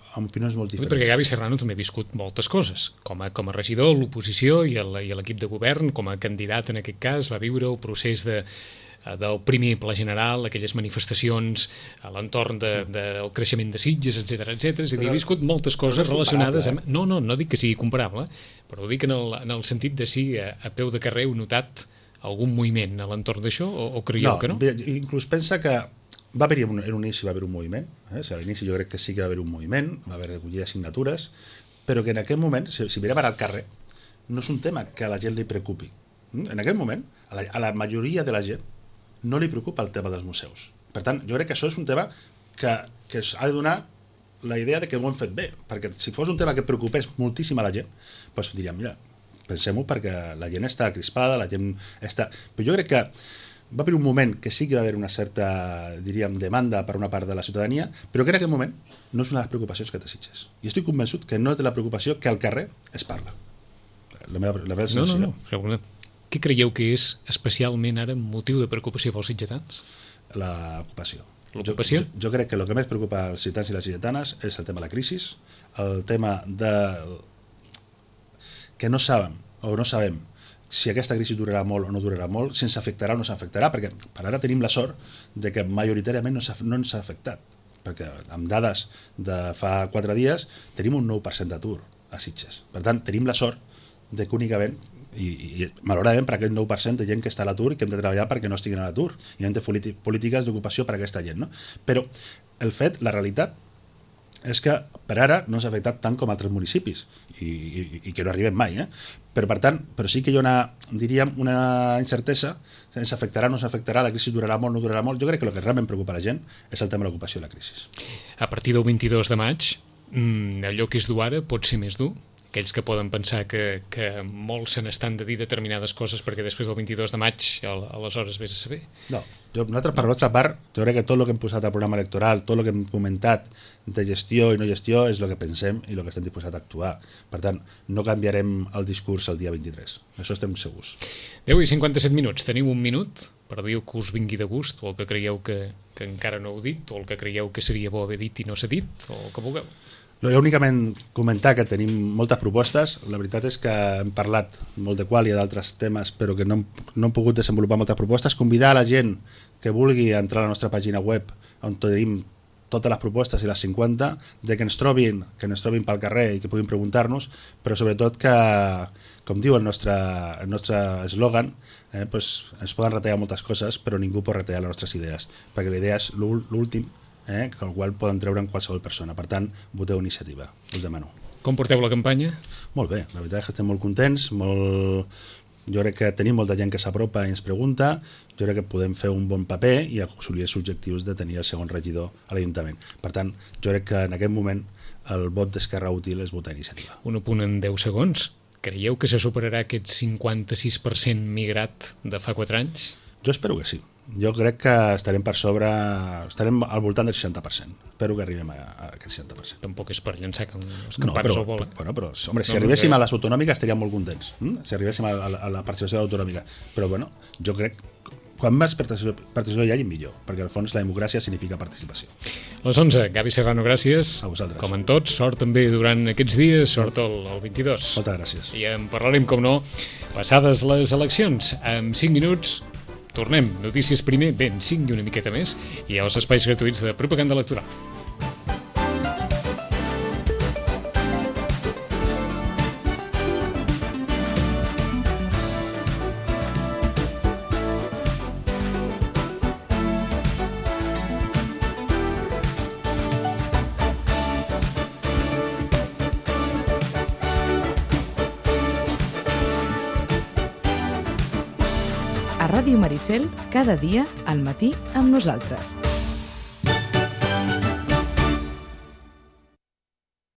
amb opinions molt diferents. Perquè Gavi Serrano també ha viscut moltes coses. Com a regidor, l'oposició i l'equip de govern, com a candidat en aquest cas, va viure el procés del primer pla general, aquelles manifestacions a l'entorn del creixement de Sitges, etc. És a dir, ha viscut moltes coses relacionades amb... No dic que sigui comparable, però ho dic en el sentit de si a peu de carrer heu notat algun moviment a l'entorn d'això o creieu que no? Inclús pensa que va haver-hi en un inici va haver un moviment, a l'inici jo crec que sí que va haver un moviment, va haver recollida de signatures, però que en aquest moment, si mirem ara al carrer, no és un tema que a la gent li preocupi. En aquest moment, a la majoria de la gent no li preocupa el tema dels museus. Per tant, jo crec que això és un tema que ha de donar la idea de que ho hem fet bé, perquè si fos un tema que preocupés moltíssim a la gent, doncs diríem, mira, pensem-ho perquè la gent està crispada, la gent està... Però jo crec que va haver un moment que sí que va haver una certa, diríem, demanda per una part de la ciutadania, però que en aquest moment no és una de les preocupacions que té Sitges. I estic convençut que no és de la preocupació que al carrer es parla. La meva sensació. No. Què creieu que és especialment ara motiu de preocupació pels sitgetans? L'ocupació. L'ocupació? Jo crec que el que més preocupa els sitgetans i les sitgetanes és el tema de la crisi, el tema de que no sabem si aquesta crisi durarà molt o no durarà molt, si ens afectarà o no s'afectarà, perquè per ara tenim la sort de que majoritàriament no ens ha afectat, perquè amb dades de fa 4 dies tenim un 9% d'atur a Sitges. Per tant, tenim la sort de que únicament i malauradament per aquest 9% de gent que està a l'atur i que hem de treballar perquè no estiguin a l'atur i hem de fer polítiques d'ocupació per a aquesta gent, no? Però el fet, la realitat és que per ara no s'ha afectat tant com altres municipis i que no arribem mai, però per tant, però sí que hi ha una incertesa, ens afectarà, no s'afectarà, la crisi durarà molt, no durarà molt. Jo crec que el que realment preocupa la gent és el tema de l'ocupació i la crisi. A partir del 22 de maig, allò que és dur ara pot ser més dur? Aquells que poden pensar que molts se n'estan de dir determinades coses perquè després del 22 de maig aleshores vés a saber. No, nosaltres per la nostra part, jo crec que tot el que hem posat al programa electoral, tot el que hem comentat de gestió i no gestió és el que pensem i el que estem disposats a actuar. Per tant, no canviarem el discurs el dia 23. Això estem segurs. 10 i 57 minuts. Teniu un minut per dir que us vingui de gust o el que creieu que encara no heu dit o el que creieu que seria bo haver dit i no s'ha dit o el que vulgueu. Únicament comentar que tenim moltes propostes. La veritat és que hem parlat molt de qual i d'altres temes, però que no hem pogut desenvolupar moltes propostes. Convidar a la gent que vulgui entrar a la nostra pàgina web, on tenim totes les propostes i les 50, de que ens trobin pel carrer i que puguin preguntar-nos, però sobretot que, com diu el nostre eslògan, pues ens poden retallar moltes coses, però ningú pot retallar les nostres idees, perquè la idea és l'últim, que el qual poden treure en qualsevol persona. Per tant, voteu iniciativa, us demano. Com porteu la campanya? Molt bé, la veritat és que estem molt contents, jo crec que tenim molta gent que s'apropa i ens pregunta, jo crec que podem fer un bon paper i assolir els objectius de tenir el segon regidor a l'Ajuntament. Per tant, jo crec que en aquest moment el vot d'Esquerra Útil és votar iniciativa. Un apunt en 10 segons. Creieu que se superarà aquest 56% migrat de fa 4 anys? Jo espero que sí. Jo crec que estarem estarem al voltant del 60%. Espero que arribem a aquest 60%. Tampoc és per llançar els campanes al vol. Però, home, si arribéssim a les autonòmiques estaríem molt contents. Si arribéssim a la participació autonòmica. Però, bueno, jo crec quan més participació hi hagi, millor, perquè al fons la democràcia significa participació. A les 11, Gavi Serrano, gràcies. A vosaltres. Com en tots, sort també durant aquests dies, sort el 22. Moltes gràcies. I en parlarem, com no, passades les eleccions. En 5 minuts tornem. Notícies primer, ben 5 i una miqueta més, i els espais gratuïts de propaganda electoral. A Ràdio Maricel, cada dia al matí amb nosaltres.